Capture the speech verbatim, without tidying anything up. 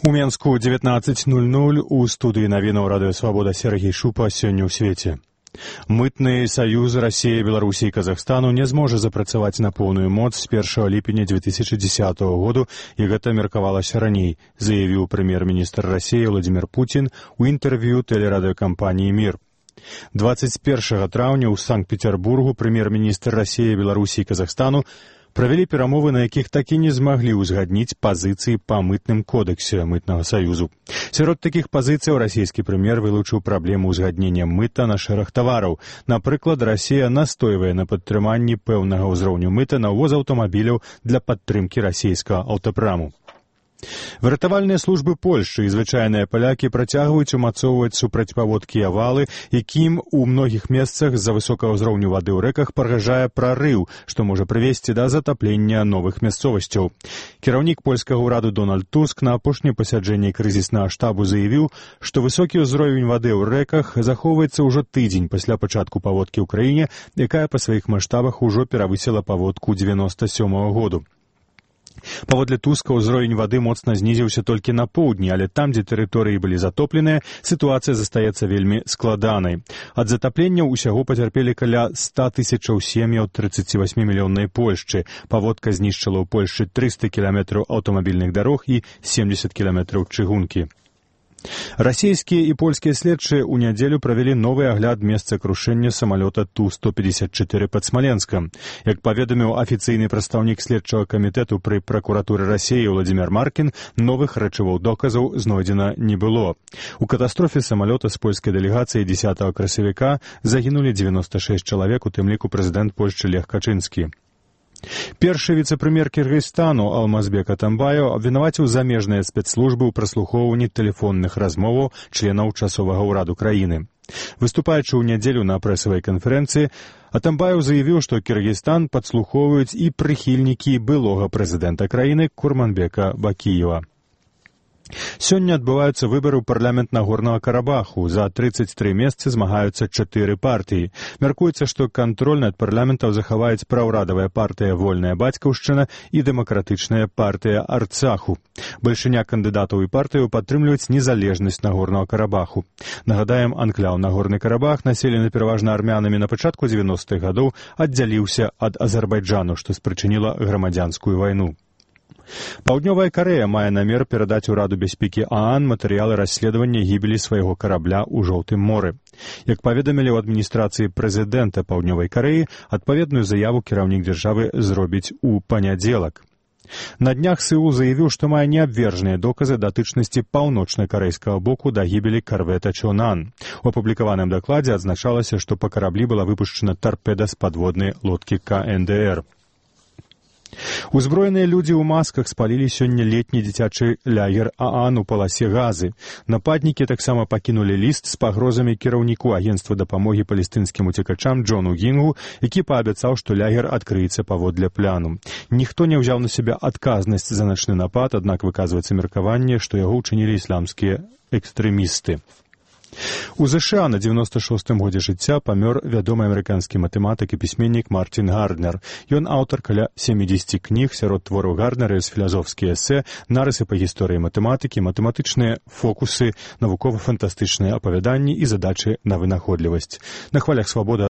У Менску дзевятнаццаць нуль нуль у студыі навінаў радыё Свабода Сергей Шупа сёння ў свеце. Мытны саюз Расіі, Беларусі і Казахстану не зможа запрацаваць на поўную моц з першага ліпеня дзве тысячы дзесятага году, і гэта меркавалася раней, заявіў прэм'ер-міністр Расіі Владзімір Пуцін у інтэрв'ю тэлерадыёкампаніі «Мір». дваццаць першага траўня ў Санкт-Петербургу прэм'ер-міністр Расіі, Беларусі і Казахстану правялі перамовы, на якіх так і не змаглі ўзгадніць пазіцыі па мытным кодексе мытнага саюзу. Сярод такіх пазіцыяў расійскі прэм'ер вылучыў праблему ўзгаднення мыта на шэраг тавараў. Напрыклад, Расія настойвае на падтрыманні пэўнага ўзроўню мыта на ўвоз аўтамабіляў для падтрымкі расійскага аўтапраму. Выратавальныя службы Польшчы і звычайныя палякі працягваюць умацоўваць супрацьпаводкія валы, якім у многіх месцах з-за высокага ўзроўню вады ў рэках пагражае прарыў, што можа прывесці да затаплення новых мясцовасцяў. Кіраўнік польскага ўраду Дональд Туск на апошнім пасяджэнні крызіснага штабу заявіў, што высокі ўзровень вады ў рэках захоўваецца ўжо тыдзень пасля пачатку паводкі ў краіне, якая па сваіх маштабах ужо перавысіла паводку дзевяноста сёмага году. Паводле Туска, ўзровень вады моцна знізіўся толькі на поўдні, але там, дзе тэрыторыі былі затопленыя, сітуацыя застаецца вельмі складанай. Ад затаплення ўсяго пацярпелі каля ста тысячаў сем'яў трыццацівасьмімільённай Польшчы. Паводка знішчыла ў Польшчы трыста кіламетраў аўтамабільных дарог і семдзесят кіламетраў чыгункі. Расійскія і польскія следчыя ў нядзелю правялі новы агляд месца крушэння самалёта Ту сто пятьдесят четыре пад Смаленскам. Як паведаміў афіцыйны прадстаўнік следчага камітэту пры пракуратуры Расіі Владзімір Маркін, новых рэчываў доказаў знойдзена не было. У катастрофе самалёта з польскай дэлегацыяй дзесятага красавіка загінулі дзевяноста шэсць чалавек, у тым ліку прэзідэнт Польшчы Лех Качынскі. Першы віцэ-прэм'ер Кіргізстану Алмазбек Атамбаев абвінаваціў замежныя спецслужбы ў праслухоўванні тэлефонных размоваў членаў часовага ўраду краіны. Выступаючы ў нядзелю на прэсавай канферэнцыі, Атамбаев заявіў, што Кіргізстан падслухоўваюць і прыхільнікі былога прэзідэнта краіны Курманбека Бакіева. Сёння адбываюцца выбары ў парламент Нагорнага Карабаху. За трыццаць тры месцы змагаюцца чатыры партыі. Мяркуецца, што кантроль над парламентам захаваюць праўрадавая партыя «Вольная бацькаўшчына» і дэмакратычная партыя «Арцаху». Бальшыня кандыдатаў і партыяў падтрымліваюць незалежнасць Нагорнага Карабаху. Нагадаем, анклаў Нагорны Карабах, населены пераважна армянамі, на пачатку дзевяностых гадоў аддзяліўся ад Азербайджану, што спрычыніла грамадзянскую вайну. Паўднёвая Карэя мае намер перадаць ураду бяспекі ААН матэрыялы расследавання гібелі свайго карабля ў Жоўтым моры. Як паведамілі ў адміністрацыі прэзідэнта Паўднёвай Карэі, адпаведную заяву кіраўнік дзяржавы зробіць у панядзелак. На днях Сеул заявіў, што мае неабвержныя доказы датычнасці паўночна-карэйскага боку да гібелі карвета Чонан. У апублікаваным дакладзе адзначалася, што па караблі была выпушчана тарпеда з падводнай лодкі Ка Эн Дэ Эр. Узброеныя людзі ў масках спалілі сёння летні дзіцячы лагер ААН у паласе Газы. Нападнікі таксама пакінулі ліст з пагрозамі кіраўніку агенцтва дапамогі палестынскім уцекачам Джону Гінгу, які паабяцаў, што лагер адкрыецца паводле пляну. Ніхто не ўзяў на сябе адказнасць за начны напад, аднак выказваецца меркаванне, што яго ўчынілі ісламскія экстрэмісты. У ЗША на дзевяноста шостым годзе жыцця памёр вядомы амерыканскі матэматык і пісьменнік Мартін Гарднер. Ён аўтар каля сямідзесяці кніг, сярод твораў Гарднера ёсць філазофскія эсэ, нарысы па гісторыі матэматыкі, матэматычныя фокусы, навукова-фантастычныя апавяданні і задачы на вынаходлівасць. На хвалях Свабода